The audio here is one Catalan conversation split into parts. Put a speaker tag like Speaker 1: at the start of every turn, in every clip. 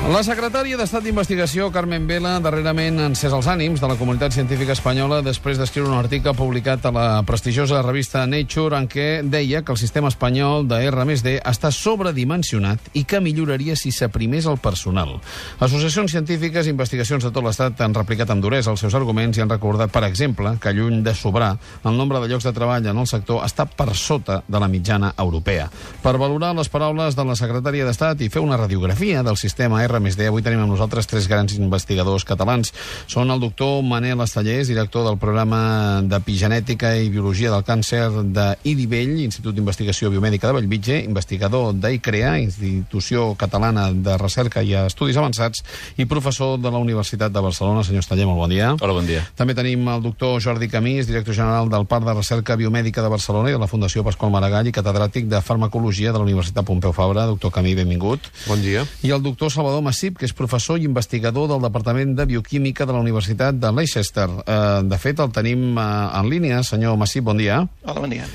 Speaker 1: La secretària d'Estat d'Investigació, Carmen Vela, darrerament ha encès els ànims de la comunitat científica espanyola després d'escriure un article publicat a la prestigiosa revista Nature en què deia que el sistema espanyol de R+D està sobredimensionat i que milloraria si s'aprimés el personal. Associacions científiques i investigacions de tot l'Estat han replicat amb duresa els seus arguments i han recordat, per exemple, que lluny de sobrar, el nombre de llocs de treball en el sector està per sota de la mitjana europea. Per valorar les paraules de la secretària d'Estat i fer una radiografia del sistema R+D, avui tenim amb nosaltres tres grans investigadors catalans. Són el doctor Manel Estellés, director del programa d'Epigenètica i Biologia del Càncer d'IDIVELL, Institut d'Investigació Biomèdica de Bellvitge, investigador d'ICREA, Institució Catalana de Recerca i Estudis Avançats, i professor de la Universitat de Barcelona. Senyor Estellés, molt bon dia.
Speaker 2: Hola, bon dia.
Speaker 1: També tenim el doctor Jordi Camís, director general del Parc de Recerca Biomèdica de Barcelona i de la Fundació Pasqual Maragall i catedràtic de Farmacologia de la Universitat Pompeu Fabra. Doctor Camí, benvingut.
Speaker 3: Bon dia.
Speaker 1: I el doctor Salvador Massip, que és professor i investigador del Departament de Bioquímica de la Universitat de Leicester. De fet, el tenim en línia. Senyor Massip, bon dia.
Speaker 4: Hola, bon dia.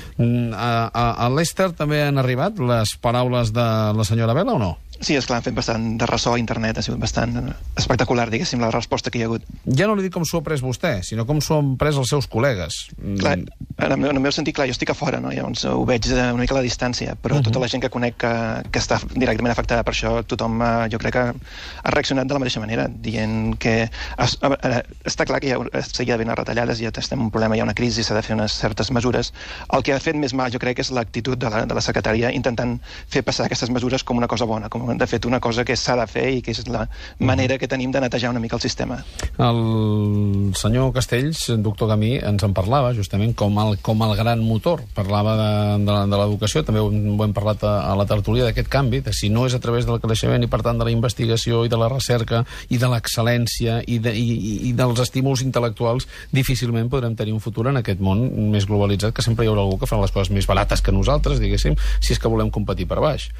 Speaker 1: A Leicester també han arribat les paraules de la senyora Vela o no?
Speaker 4: Sí, esclar, han fet bastant de ressò a internet, ha sigut bastant espectacular, diguéssim, la resposta que hi ha hagut.
Speaker 1: Ja no li dic com s'ho ha pres vostè, sinó com s'ho han pres els seus col·legues.
Speaker 4: Clar, en el meu sentit, clar, jo estic a fora, no? Llavors ho veig una mica a la distància, però tota la gent que conec que està directament afectada per això, tothom, jo crec que ha reaccionat de la mateixa manera, dient que està clar que s'hi ha d'haver retallades, ja estem en un problema, hi ha una crisi, s'ha de fer unes certes mesures. El que ha fet més mal, jo crec, és l'actitud de la secretària intentant fer passar aquestes mesures com una cosa bona, com de fet una cosa que s'ha de fer i que és la manera que tenim de netejar una mica el sistema.
Speaker 1: El senyor Castells, doctor Camí, ens en parlava justament com el gran motor. Parlava de l'educació, també ho hem parlat a la tertúlia d'aquest canvi, de si no és a través del creixement i per tant de la investigació i de la recerca i de l'excel·lència i dels estímuls intel·lectuals, difícilment podrem tenir un futur en aquest món més globalitzat, que sempre hi haurà algú que farà les coses més barates que nosaltres, diguéssim, si és que volem competir per baix.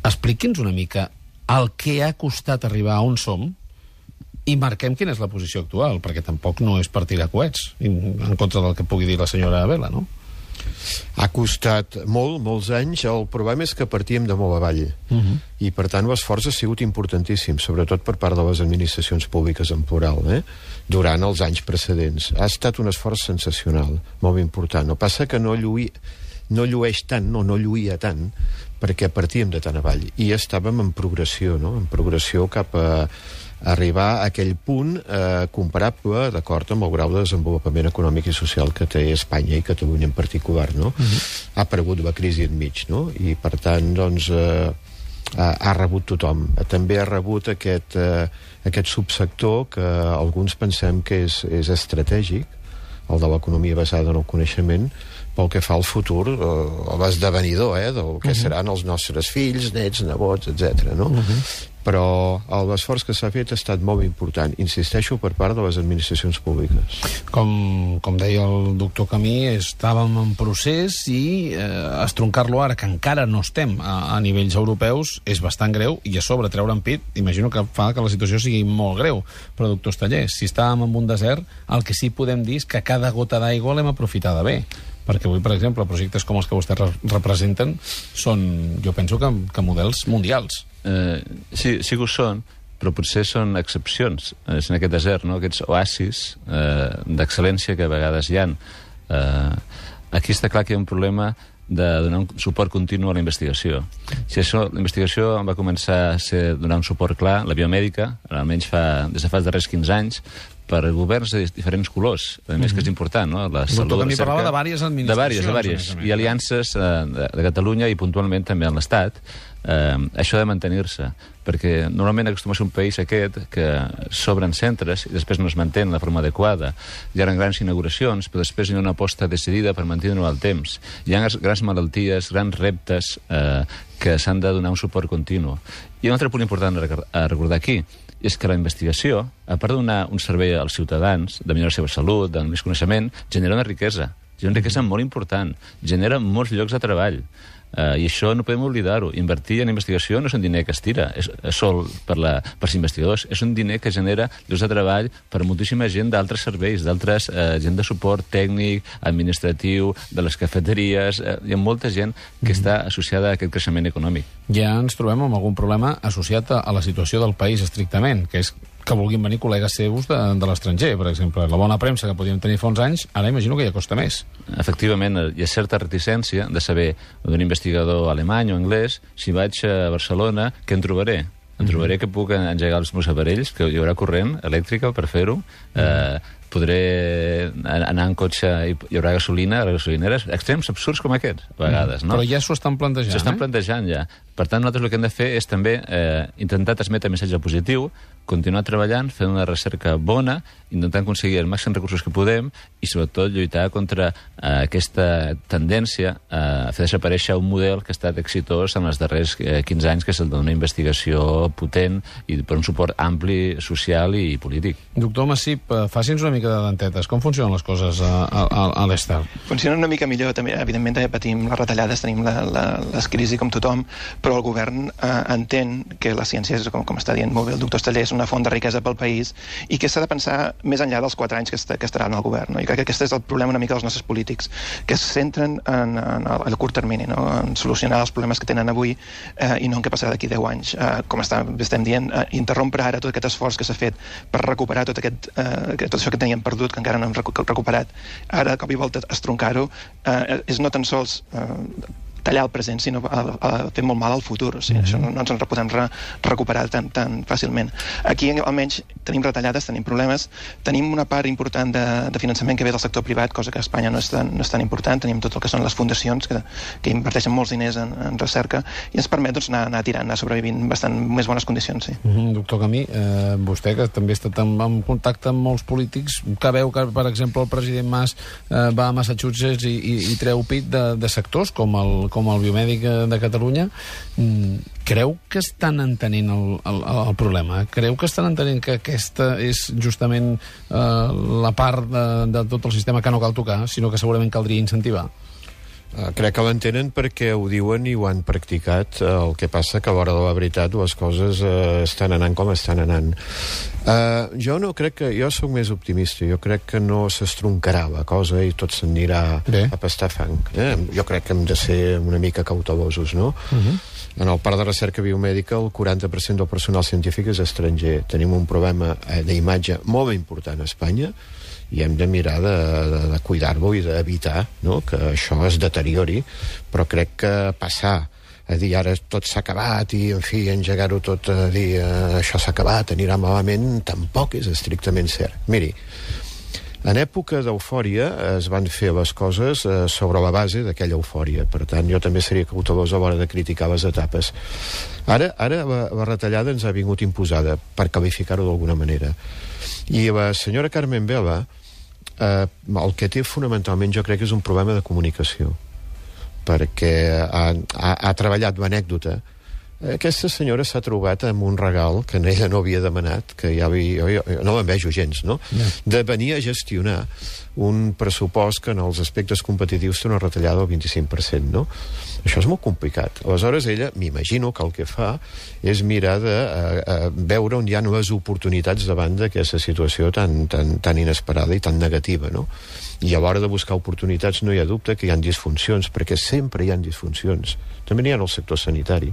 Speaker 1: Expliqui'ns una mica el que ha costat arribar a on som i marquem quina és la posició actual, perquè tampoc no és per tirar coets en contra del que pugui dir la senyora Vela, no?
Speaker 3: Ha costat molts anys. El problema és que partíem de molt avall i per tant l'esforç ha sigut importantíssim, sobretot per part de les administracions públiques en plural, durant els anys precedents. Ha estat un esforç sensacional, molt important. No passa que no llueix tant, no lluïa tant, perquè partíem de tan avall i estàvem en progressió, no? En progressió cap a arribar a aquell punt comparable, d'acord amb el grau de desenvolupament econòmic i social que té Espanya i Catalunya en particular, no? Ha aparegut la crisi enmig, no? I per tant, doncs, ha rebut tothom. També ha rebut aquest subsector que alguns pensem que és estratègic, el de l'economia basada en el coneixement, pel que fa al futur, l'esdevenidor, del que seran els nostres fills, nets, nebots, etc. No? Però l'esforç que s'ha fet ha estat molt important, insisteixo, per part de les administracions públiques.
Speaker 1: Com deia el doctor Camí, estàvem en procés i estroncar-lo ara, que encara no estem a nivells europeus, és bastant greu, i a sobre treure en pit, imagino que fa que la situació sigui molt greu. Però, doctor Estellés, si estàvem en un desert, el que sí podem dir és que cada gota d'aigua l'hem aprofitada bé. Perquè avui, per exemple, projectes com els que vostès representen són, jo penso que models mundials.
Speaker 2: Sí que ho són, però potser són excepcions en aquest desert, no? Aquests oasis d'excel·lència que a vegades hi ha. Aquí està clar que hi ha un problema de donar un suport continu a la investigació. Si això, la investigació va començar a donar un suport clar, la biomèdica, almenys des de fa els darrers 15 anys, per governs de diferents colors, a més que és important, no? La salut,
Speaker 1: la recerca... parlava de diverses administracions.
Speaker 2: De diverses, i aliances de Catalunya i puntualment també en l'Estat. Això ha de mantenir-se, perquè normalment acostuma a ser un país aquest que s'obren centres i després no es mantenen de forma adequada. Hi ha grans inauguracions, però després hi ha una aposta decidida per mantenir-ho al temps. Hi ha grans malalties, grans reptes que s'han de donar un suport continu. I un altre punt important a recordar aquí és que la investigació, a part de donar un servei als ciutadans, de millorar la seva salut, de més coneixement, genera una riquesa. És una riquesa molt important, genera molts llocs de treball. I això no podem oblidar-ho. Invertir en investigació no és un diner que es tira sol per als investigadors, és un diner que genera llocs de treball per moltíssima gent d'altres serveis, d'altres gent de suport tècnic, administratiu, de les cafeteries. Hi ha molta gent que està associada a aquest creixement econòmic.
Speaker 1: Ja ens trobem amb algun problema associat a la situació del país estrictament, que és que vulguin venir col·legues seus de l'estranger, per exemple. La bona premsa que podíem tenir fa uns anys, ara imagino que ja costa més. Efectivament,
Speaker 2: hi ha certa reticència de saber d'un investigador alemany o anglès, si vaig a Barcelona, què en trobaré? Em trobaré que puc engegar els meus aparells, que hi haurà corrent elèctrica per fer-ho, podré anar en cotxe i hi haurà gasolina a les gasolineres, extrems absurds com aquests, a vegades, no?
Speaker 1: Però ja s'ho estan plantejant,
Speaker 2: S'ho estan plantejant, ja. Per tant, nosaltres el que hem de fer és també intentar transmetre missatge positiu, continuar treballant, fent una recerca bona, intentant aconseguir el màxim recursos que podem i, sobretot, lluitar contra aquesta tendència a fer desaparèixer un model que ha estat exitós en els darrers 15 anys, que és el d'una investigació potent i per un suport ampli, social i polític.
Speaker 1: Doctor Massip, faci'ns una mica de dentetes. Com funcionen les coses a l'Estat?
Speaker 4: Funcionen una mica millor, també. Evidentment, també patim les retallades, tenim les crisis com tothom, però el govern entén que la ciència, com està dient molt bé el doctor Esteller, és una font de riquesa pel país i que s'ha de pensar més enllà dels 4 anys que estaran al govern. No? I crec que aquest és el problema una mica dels nostres polítics, que es centren en el curt termini, no? En solucionar els problemes que tenen avui i no en què passarà d'aquí 10 anys. Com estem dient, interrompre ara tot aquest esforç que s'ha fet per recuperar tot això que teníem perdut, que encara no hem recuperat, ara de cop i volta estroncar-ho, és no tan sols tallar el present, sinó a fer molt mal al futur. O sigui, això no ens en podem recuperar tan fàcilment. Aquí, almenys, tenim retallades, tenim problemes, tenim una part important de finançament que ve del sector privat, cosa que a Espanya no és tan important, tenim tot el que són les fundacions, que inverteixen molts diners en recerca, i ens permet doncs, anar tirant, anar sobrevivint bastant més bones condicions, sí.
Speaker 1: Doctor Camí, vostè, que també ha estat en contacte amb molts polítics, que veu que, per exemple, el president Mas va a Massachusetts i treu pit de sectors com el biomèdic de Catalunya, creu que estan entenent el problema? Creu que estan entenent que aquesta és justament la part de tot el sistema que no cal tocar, sinó que segurament caldria incentivar?
Speaker 3: Crec que l'entenen perquè ho diuen i ho han practicat. El que passa que a l'hora de la veritat les coses estan anant com estan anant. Jo sóc més optimista. Jo crec que no s'estroncarà la cosa i tot s'anirà a pastar fang. Jo crec que hem de ser una mica cautelosos, no? En el parc de recerca biomèdica el 40% del personal científic és estranger. Tenim un problema d'imatge molt important a Espanya i hem de mirar de cuidar-lo i d'evitar, no?, que això es deteriori, però crec que passar a dir ara tot s'ha acabat i, en fi, engegar-ho tot a dir això s'ha acabat, anirà malament, tampoc és estrictament cert. Miri, en època d'eufòria es van fer les coses sobre la base d'aquella eufòria. Per tant, jo també seria cautelós a l'hora de criticar les etapes. Ara la retallada ens ha vingut imposada, per qualificar-ho d'alguna manera. I la senyora Carmen Vela, el que té fonamentalment, jo crec que és un problema de comunicació, perquè ha treballat l'anècdota. Aquesta senyora s'ha trobat amb un regal que ella no havia demanat, que jo no l'envejo gens, no? De venir a gestionar un pressupost que en els aspectes competitius té una retallada del 25%, no? Això és molt complicat. Aleshores, ella, m'imagino que el que fa és mirar de veure on hi ha les oportunitats davant d'aquesta situació tan inesperada i tan negativa, no? I a l'hora de buscar oportunitats no hi ha dubte que hi ha disfuncions, perquè sempre hi ha disfuncions. També n'hi ha en el sector sanitari,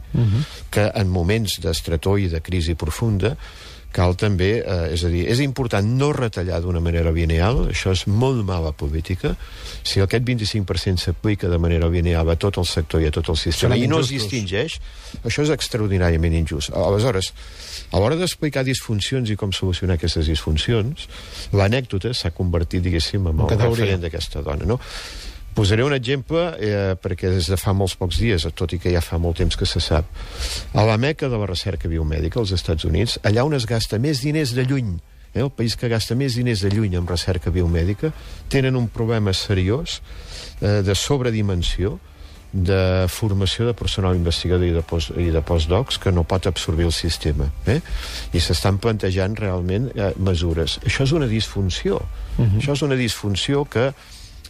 Speaker 3: que en moments d'estretor i de crisi profunda cal també, és a dir, és important no retallar d'una manera lineal, això és molt mala política. Si aquest 25% s'aplica de manera lineal a tot el sector i a tot el sistema i no es distingeix, això és extraordinàriament injust. Aleshores, a l'hora d'explicar disfuncions i com solucionar aquestes disfuncions, l'anècdota s'ha convertit, diguéssim, en el referent d'aquesta dona, no? Posaré un exemple, perquè des de fa molts pocs dies, tot i que ja fa molt temps que se sap, a la meca de la recerca biomèdica, als Estats Units, allà on es gasta més diners de lluny, el país que gasta més diners de lluny en recerca biomèdica, tenen un problema seriós de sobredimensió, de formació de personal investigador i de postdocs que no pot absorbir el sistema. I s'estan plantejant realment mesures. Això és una disfunció. Això és una disfunció que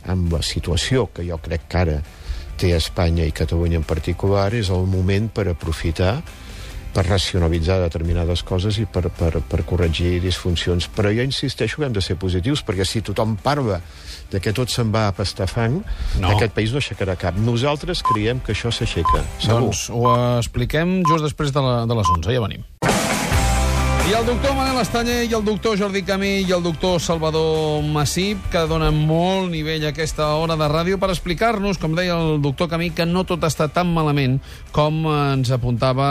Speaker 3: amb la situació que jo crec que ara té Espanya i Catalunya en particular, és el moment per aprofitar, per racionalitzar determinades coses i per corregir disfuncions. Però jo insisteixo que hem de ser positius, perquè si tothom parla de que tot se'n va a pastar fang, aquest país no aixecarà cap. Nosaltres creiem que això s'aixeca, segur.
Speaker 1: Doncs ho expliquem just després de les 11. Ja venim. I el doctor Manel Estanyer, i el doctor Jordi Camí, i el doctor Salvador Massip, que donen molt nivell a aquesta hora de ràdio per explicar-nos, com deia el doctor Camí, que no tot està tan malament com ens apuntava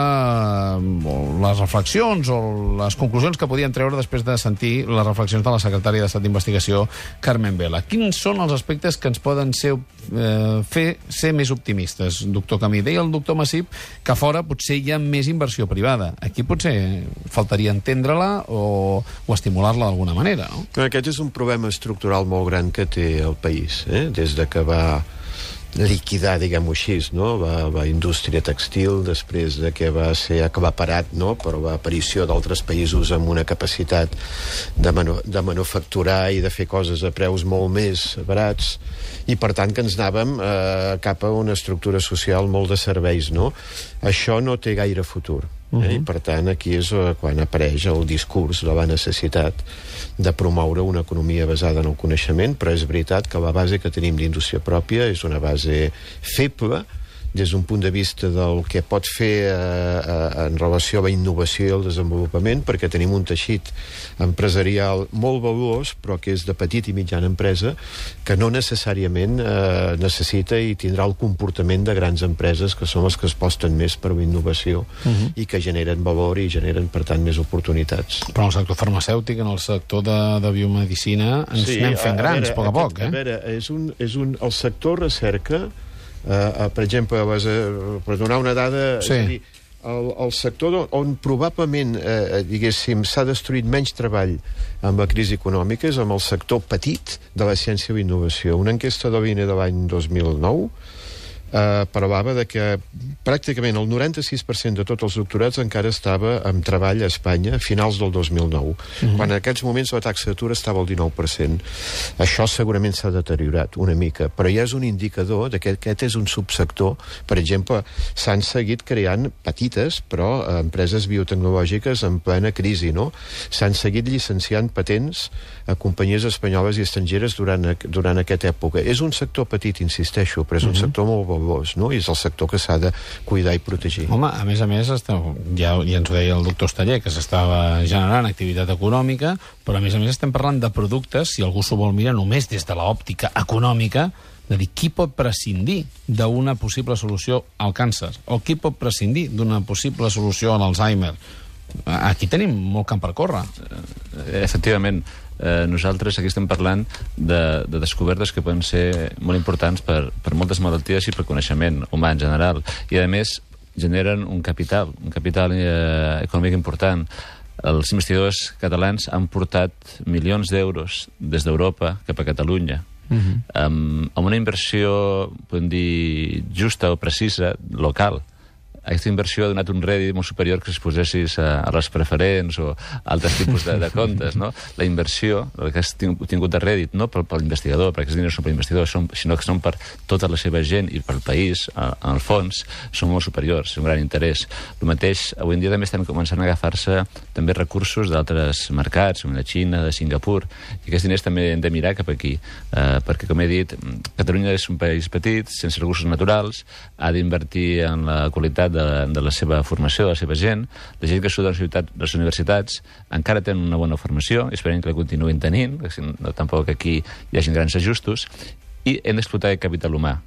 Speaker 1: les reflexions o les conclusions que podíem treure després de sentir les reflexions de la secretària d'Estat d'Investigació, Carmen Vela. Quins són els aspectes que ens poden fer ser més optimistes, doctor Camí? Deia el doctor Massip que a fora potser hi ha més inversió privada. Aquí potser faltaria entendre-la o estimular-la d'alguna manera, no?
Speaker 3: Aquest és un problema estructural molt gran que té el país, des de que va liquidar, diguem-ho així, no? Va indústria textil, després de que va ser aclaparat, no? Per l'aparició d'altres països amb una capacitat de manufacturar i de fer coses a preus molt més barats, i per tant que ens anàvem cap a una estructura social molt de serveis, no? Això no té gaire futur. I per tant aquí és quan apareix el discurs de la necessitat de promoure una economia basada en el coneixement, però és veritat que la base que tenim d'indústria pròpia és una base feble des d'un punt de vista del que pot fer en relació a la innovació i el desenvolupament, perquè tenim un teixit empresarial molt valuós, però que és de petit i mitjana empresa, que no necessàriament necessita i tindrà el comportament de grans empreses, que són les que es posten més per la innovació i que generen valor i generen, per tant, més oportunitats.
Speaker 1: Però en el sector farmacèutic, en el sector de biomedicina, ens anem fent grans, a poc a poc.
Speaker 3: A veure, el sector recerca, per exemple, per donar una dada, és a dir, el sector on probablement, diguéssim, s'ha destruït menys treball amb la crisi econòmica és amb el sector petit de la ciència i innovació. Una enquesta de l'INE de l'any 2009 parlava de que pràcticament el 96% de tots els doctorats encara estava en treball a Espanya a finals del 2009, quan en aquests moments la taxa d'atur estava al 19%. Això segurament s'ha deteriorat una mica, però ja és un indicador de que aquest és un subsector. Per exemple, s'han seguit creant petites, però empreses biotecnològiques en plena crisi, no? S'han seguit llicenciant patents a companyies espanyoles i estrangeres durant aquesta època. És un sector petit, insisteixo, però és un sector molt no? I és el sector que s'ha de cuidar i protegir.
Speaker 1: Home, a més, ja ens ho deia el doctor Estanyer, que s'estava generant activitat econòmica, però a més estem parlant de productes, si algú s'ho vol mirar només des de l'òptica econòmica, de dir qui pot prescindir d'una possible solució al càncer, o qui pot prescindir d'una possible solució a l'Alzheimer. Aquí tenim molt camp per córrer.
Speaker 2: Efectivament, nosaltres aquí estem parlant de descobertes que poden ser molt importants per moltes malalties i per coneixement humà en general, i a més generen un capital econòmic important. Els investigadors catalans han portat milions d'euros des d'Europa cap a Catalunya, amb una inversió, podem dir, justa o precisa, local. Aquesta inversió ha donat un rèdit molt superior que si es posessis a les preferents o altres tipus de comptes, no? La inversió, el que has tingut de rèdit, no per l'investigador, perquè aquests diners són per l'investigador, sinó que són per tota la seva gent i pel país, en el fons, són molt superiors, un gran interès. El mateix, avui en dia també estan començant a agafar-se també recursos d'altres mercats, com de Xina, de Singapur, i aquests diners també hem de mirar cap aquí, perquè, com he dit, Catalunya és un país petit, sense recursos naturals, ha d'invertir en la qualitat de la seva formació, de la seva gent. La gent que surt de les universitats encara tenen una bona formació, esperem que la continuïn tenint, no tampoc aquí hi hagi grans ajustos, i hem d'explotar el capital humà.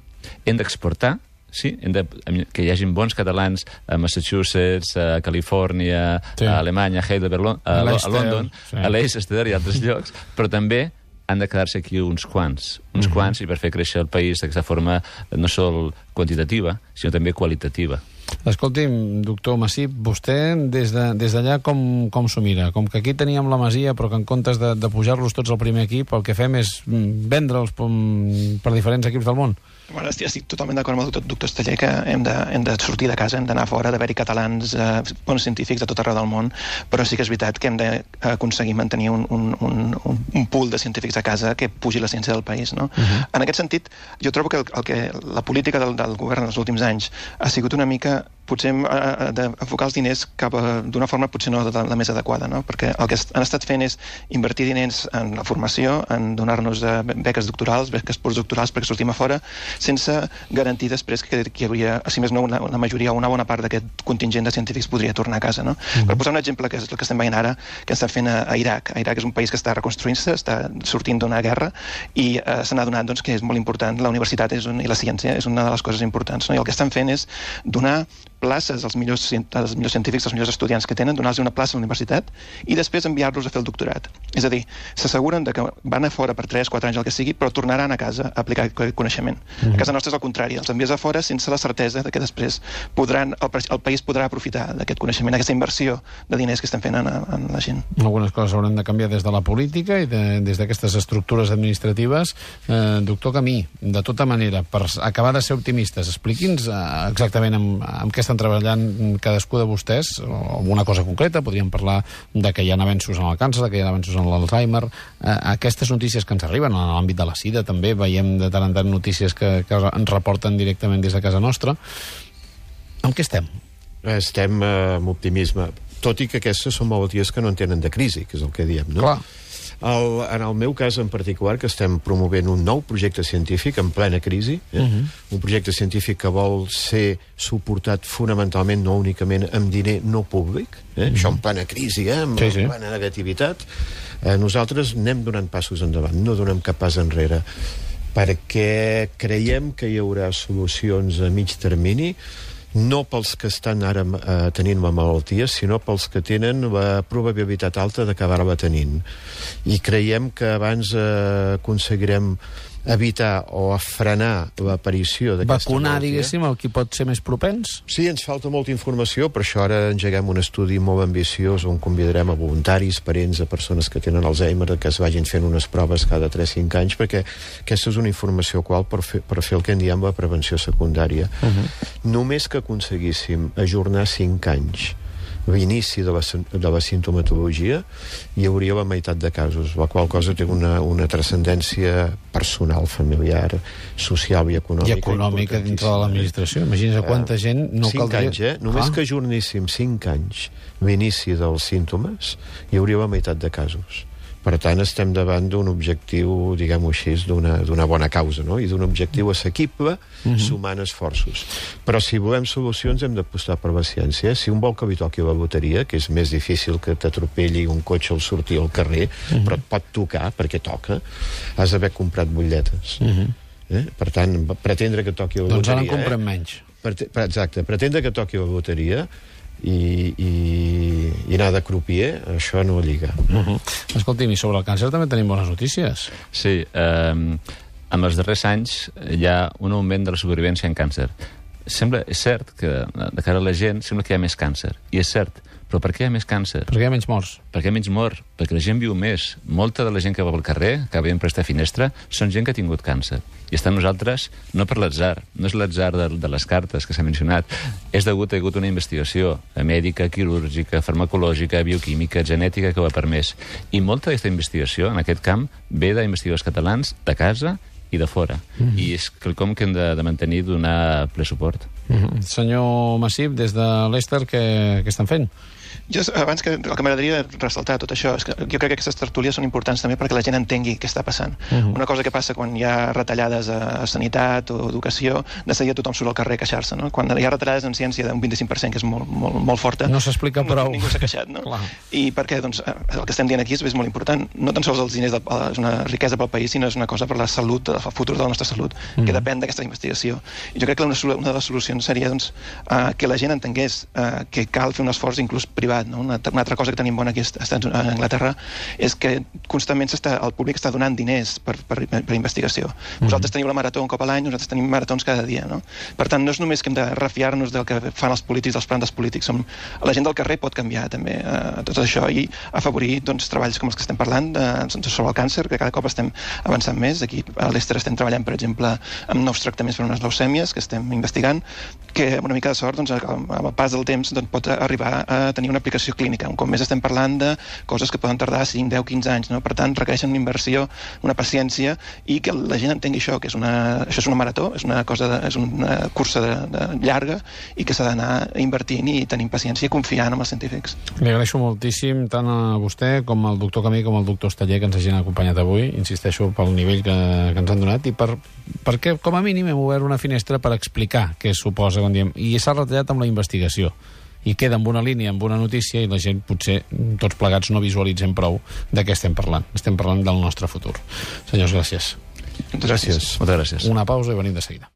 Speaker 2: Hem d'exportar, sí, que hi hagi bons catalans a Massachusetts, a Califòrnia, a Alemanya, a Heidelberg, a London, a Leicester i altres llocs, però també han de quedar-se aquí uns quants, i per fer créixer el país d'aquesta forma no sol quantitativa, sinó també qualitativa.
Speaker 1: Escolti'm, doctor Massip, vostè des d'allà com s'ho mira? Com que aquí teníem la Masia, però que en comptes de pujar-los tots al primer equip, el que fem és vendre'ls per diferents equips del món?
Speaker 4: Bueno, estic totalment d'acord amb el doctor Esteller que hem de sortir de casa, hem d'anar fora, d'haver-hi catalans, bons científics de tot arreu del món, però sí que és veritat que hem d'aconseguir mantenir un pool de científics a casa que pugi la ciència del país, no? En aquest sentit, jo trobo que la política del govern en els últims anys ha sigut una mica potser d'enfocar els diners d'una forma potser no la més adequada, no? Perquè el que han estat fent és invertir diners en la formació, en donar-nos beques doctorals, beques postdoctorals perquè sortim a fora, sense garantir després que hi hauria, si més no, una majoria o una bona part d'aquest contingent de científics podria tornar a casa, no? Per posar un exemple, que és el que estem veient ara, que estan fent a Iraq. Iraq és un país que està reconstruint-se, està sortint d'una guerra i se n'ha donat que és molt important. La universitat i la ciència és una de les coses importants, no? I el que estan fent és donar places als millors científics, als millors estudiants que tenen, donar-los una plaça a la universitat i després enviar-los a fer el doctorat. És a dir, s'asseguren que van a fora per 3-4 anys, el que sigui, però tornaran a casa a aplicar aquest coneixement. A casa nostra és el contrari, els envies a fora sense la certesa que després el país podrà aprofitar d'aquest coneixement, aquesta inversió de diners que estem fent en la gent.
Speaker 1: Algunes coses hauran de canviar des de la política i des d'aquestes estructures administratives. Doctor Camí, de tota manera, per acabar de ser optimistes, expliqui'ns exactament amb què estan treballant cadascú de vostès, o una cosa concreta, podríem parlar de que hi ha avenços en el càncer, que hi ha avenços en l'Alzheimer, aquestes notícies que ens arriben en l'àmbit de la sida també, veiem de tant en tant notícies que ens reporten directament des de casa nostra. Amb què estem?
Speaker 3: Estem amb optimisme, tot i que aquestes són malalties que no en tenen de crisi, que és el que diem, no?
Speaker 1: Clar.
Speaker 3: En el meu cas en particular, que estem promovent un nou projecte científic en plena crisi, un projecte científic que vol ser suportat fonamentalment, no únicament amb diner no públic, això en plena crisi, amb plena negativitat, nosaltres anem donant passos endavant, no donem cap pas enrere, perquè creiem que hi haurà solucions a mig termini, no pels que estan ara tenint la malaltia, sinó pels que tenen la probabilitat alta d'acabar-la tenint. I creiem que abans aconseguirem evitar o frenar l'aparició d'aquesta
Speaker 1: vacunar,
Speaker 3: malaltia.
Speaker 1: diguéssim, el qui pot ser més propens?
Speaker 3: Sí, ens falta molta informació, per això ara engeguem un estudi molt ambiciós on convidarem a voluntaris, parents, a persones que tenen Alzheimer, que es vagin fent unes proves cada 3-5 anys, perquè aquesta és una informació qual per fer el que en diem la prevenció secundària. Només que aconseguíssim ajornar 5 anys l'inici de la sintomatologia, hi hauria la meitat de casos, la qual cosa té una transcendència personal, familiar, social i econòmica.
Speaker 1: I econòmica dintre de l'administració. Imagina't quanta gent no caldria...
Speaker 3: 5 anys, Només que ajorníssim 5 anys l'inici dels símptomes, hi hauria la meitat de casos. Per tant, estem davant d'un objectiu, diguem-ho així, d'una bona causa, no? I d'un objectiu assequible, sumant esforços. Però si volem solucions hem d'apostar per la ciència. Si un vol que li toqui la loteria, que és més difícil que t'atropelli un cotxe al sortir al carrer, però et pot tocar, perquè toca, has d'haver comprat butlletes. Per tant, pretendre que toqui la loteria...
Speaker 1: Doncs ara en comprem menys.
Speaker 3: Exacte, pretendre que toqui la loteria i anar de crupier, això no lliga.
Speaker 1: Escolti'm, i sobre el càncer també tenim bones notícies.
Speaker 2: Sí, en els darrers anys hi ha un augment de la supervivència en càncer. És cert que de cara a la gent sembla que hi ha més càncer, i és cert, però per què hi ha més càncer?
Speaker 1: Perquè hi ha menys morts.
Speaker 2: Perquè hi ha menys mort, perquè la gent viu més. Molta de la gent que va pel carrer, que veiem per esta finestra, són gent que ha tingut càncer. I està amb nosaltres no per l'atzar, no és l'atzar de les cartes que s'ha mencionat, és degut a hagut una investigació mèdica, quirúrgica, farmacològica, bioquímica, genètica que ho ha permès. I molta d'aquesta investigació, en aquest camp, ve d'investigadors catalans de casa i de fora. I és quelcom que hem de mantenir, donar ple suport.
Speaker 1: Senyor Massip, des de l'Ester, què estan fent?
Speaker 4: Jo, abans que el que m'agradaria ressaltar tot això és que jo crec que aquestes tertúlies són importants també perquè la gent entengui què està passant. Una cosa que passa quan hi ha retallades a sanitat o educació, de seguida tothom surt al carrer a queixar-se, no? Quan hi ha retallades en ciència d'un 25%, que és molt forta,
Speaker 1: no s'explica prou.
Speaker 4: Ningú s'ha queixat, no? I per què? Doncs el que estem dient aquí és molt important. No tan sols els diners és una riquesa pel país, sinó és una cosa per la salut, el futur de la nostra salut, que depèn d'aquesta investigació. I jo crec que una de les solucions solucions seria doncs, que la gent entengués que cal fer un esforç inclús privat. No? Una altra cosa que tenim bona aquí a Anglaterra és que constantment el públic està donant diners per investigació. Vosaltres teniu la marató un cop a l'any, nosaltres tenim maratons cada dia. No? Per tant, no és només que hem de refiar-nos del que fan els polítics, dels plans dels polítics. La gent del carrer pot canviar també tot això i afavorir treballs com els que estem parlant sobre el càncer, que cada cop estem avançant més. Aquí a l'Ester estem treballant, per exemple, amb nous tractaments per unes leucèmies que estem investigant, que amb una mica de sort, amb el pas del temps, pot arribar a tenir una aplicació clínica. Un cop més estem parlant de coses que poden tardar 5, 10, 15 anys. No? Per tant, requereixen una inversió, una paciència, i que la gent entengui això, que això és una marató, és una cursa llarga i que s'ha d'anar invertint i tenint paciència i confiant en els científics.
Speaker 1: Li agraeixo moltíssim tant a vostè com al doctor Camí com al doctor Osteller que ens hagin acompanyat avui, insisteixo pel nivell que ens han donat i perquè com a mínim hem obert una finestra per explicar què suposa quan diem, i s'ha retallat amb la investigació i queda amb una línia, amb una notícia, i la gent potser tots plegats no visualitzem prou de què estem parlant. Estem parlant del nostre futur. Senyors, gràcies.
Speaker 3: Gràcies.
Speaker 2: Moltes gràcies.
Speaker 1: Una pausa i venim de seguida.